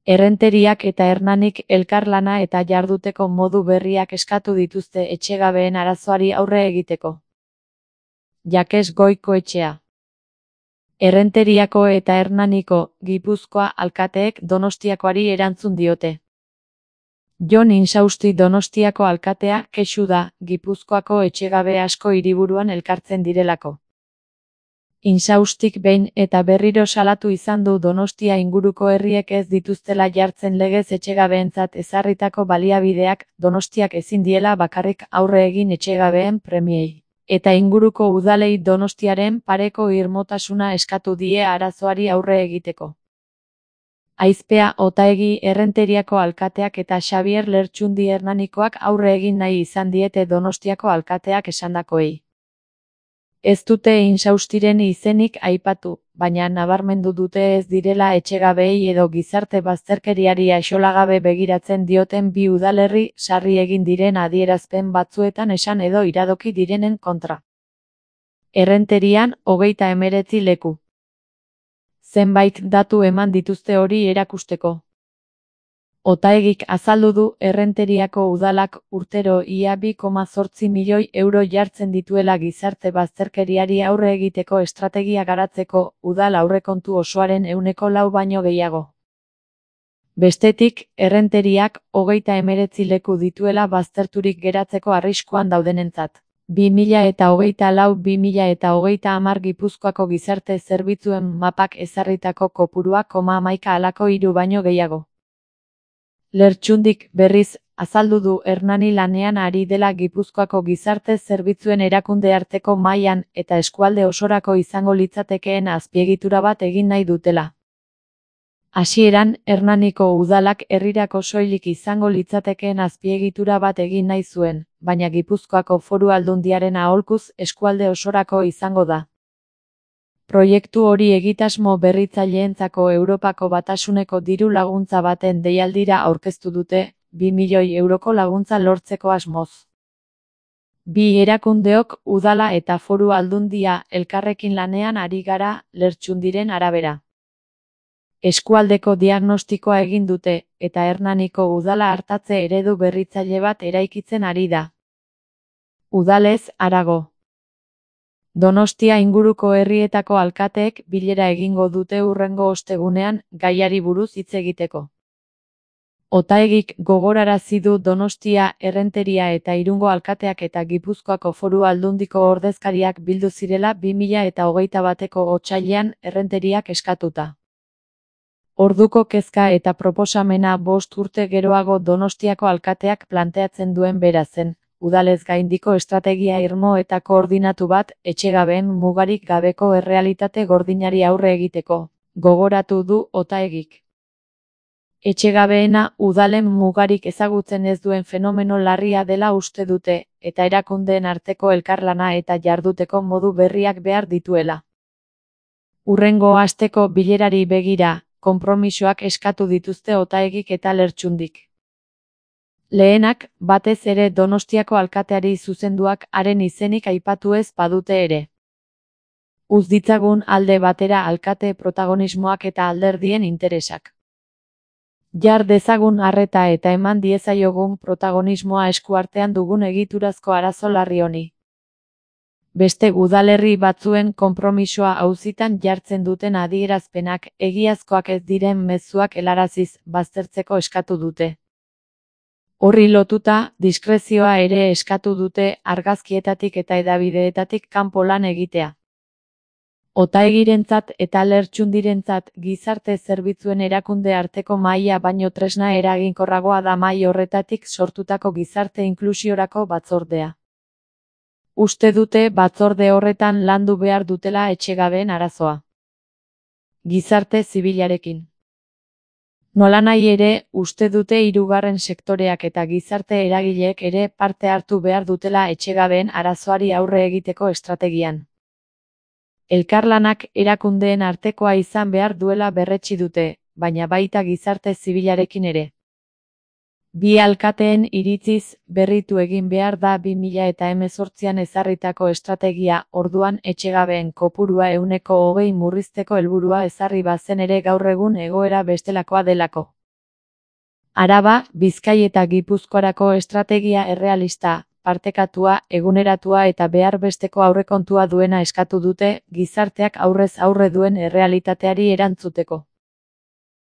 Errenteriak eta Hernanik elkarlana eta jarduteko modu berriak eskatu dituzte etxegabeen arazoari aurre egiteko. Jakes Goikoetxea. Errenteriako eta Hernaniko, Gipuzkoa alkateek Donostiakoari erantzun diote. Jon Insausti Donostiako alkatea kexu da, Gipuzkoako etxegabe asko hiriburuan elkartzen direlako. Insaustik behin eta berriro salatu izan du Donostia inguruko herriek ez dituztela jartzen legez etxegabeentzat ezarritako baliabideak, Donostiak ezin diela bakarrik aurre egin etxegabeen premiei. Eta inguruko udalei Donostiaren pareko irmotasuna eskatu die arazoari aurre egiteko. Aizpea Otaegi Errenteriako alkateak eta Xabier Lertxundi Hernanikoak aurre egin nahi izan diete Donostiako alkateak esandakoei. Ez dute Insaustiren izenik aipatu, baina nabarmendu dute ez direla etxegabeei edo gizarte bazterkeriari axolagabe begiratzen dioten bi udalerri sarri egin diren adierazpen batzuetan esan edo iradoki direnen kontra. Errenterian, 39 leku. Zenbait datu eman dituzte hori erakusteko. Otaegik azaldu du Errenteriako udalak urtero ia 2,8 milioi euro jartzen dituela gizarte bazterkeriari aurre egiteko estrategia garatzeko, udal aurrekontu osoaren 4% baino gehiago. Bestetik, Errenteriak 39 leku dituela bazterturik geratzeko arriskuan daudenentzat. 2024-2030 Gipuzkoako gizarte zerbitzuen mapak ezarritako kopurua 11 halako 3 baino gehiago. Lertxundik, berriz, azaldu du Hernani lanean ari dela Gipuzkoako gizarte zerbitzuen erakunde arteko mailan eta eskualde osorako izango litzatekeen azpiegitura bat egin nahi dutela. Hasieran, Hernaniko udalak herrirako soilik izango litzatekeen azpiegitura bat egin nahi zuen, baina Gipuzkoako Foru Aldundiaren aholkuz eskualde osorako izango da. Proiektu hori egitasmo berritzaileentzako Europako Batasuneko diru laguntza baten deialdira aurkeztu dute, 2 milioi euroko laguntza lortzeko asmoz. Bi erakundeok udala eta Foru Aldundia elkarrekin lanean ari gara, Lertxundiren arabera. Eskualdeko diagnostikoa egin dute, eta Hernaniko udala artatze eredu berritzaile bat eraikitzen ari da. Udalez harago. Donostia inguruko herrietako alkateek bilera egingo dute hurrengo ostegunean gaiari buruz hitz egiteko. Otaegik gogorarazi du Donostia, Errenteria eta Irungo alkateak eta Gipuzkoako Foru Aldundiko ordezkariak bildu zirela 2021ko otsailean Errenteriak eskatuta. Orduko kezka eta proposamena 5 urte geroago Donostiako alkateak planteatzen duen bera zen, udalez gaindiko estrategia irmo eta koordinatu bat etxegabeen mugarik gabeko errealitate gordinari aurre egiteko, gogoratu du Otaegik. Etxegabeena udalen mugarik ezagutzen ez duen fenomeno larria dela uste dute, eta erakundeen arteko elkarlana eta jarduteko modu berriak behar dituela. Hurrengo asteko bilerari begira, konpromisoak eskatu dituzte Otaegik eta Lertxundik. Lehenak, batez ere Donostiako alkateari zuzenduak haren izenik aipatu ez badute ere. Uz ditzagun alde batera alkate protagonismoak eta alderdien interesak. Jar dezagun arreta eta eman diezaiogun protagonismoa eskuartean dugun egiturazko arazo larri honi. Beste udalerri batzuen konpromisoa auzitan jartzen duten adierazpenak egiazkoak ez diren mezuak helaraziz baztertzeko eskatu dute. Horri lotuta, diskrezioa ere eskatu dute argazkietatik eta hedabideetatik kanpo lan egitea. Otaegirentzat eta Lertxundirentzat gizarte zerbitzuen erakunde arteko mahaia baino tresna eraginkorragoa da mahai horretatik sortutako gizarte inklusiorako batzordea. Uste dute batzorde horretan landu behar dutela etxegabeen arazoa. Gizarte zibilarekin. Nolanahi ere, uste dute hirugarren sektoreak eta gizarte eragileek ere parte hartu behar dutela etxegabeen arazoari aurre egiteko estrategian. Elkarlanak erakundeen artekoa izan behar duela berretsi dute, baina baita gizarte zibilarekin ere. Bi alkateen iritziz, berritu egin behar da 2018an ezarritako estrategia, orduan etxegabeen kopurua 20% murrizteko helburua ezarri bazen ere gaur egun egoera bestelakoa delako. Araba, Bizkai eta Gipuzkoarako estrategia errealista, partekatua, eguneratua eta behar besteko aurrekontua duena eskatu dute, gizarteak aurrez aurre duen errealitateari erantzuteko.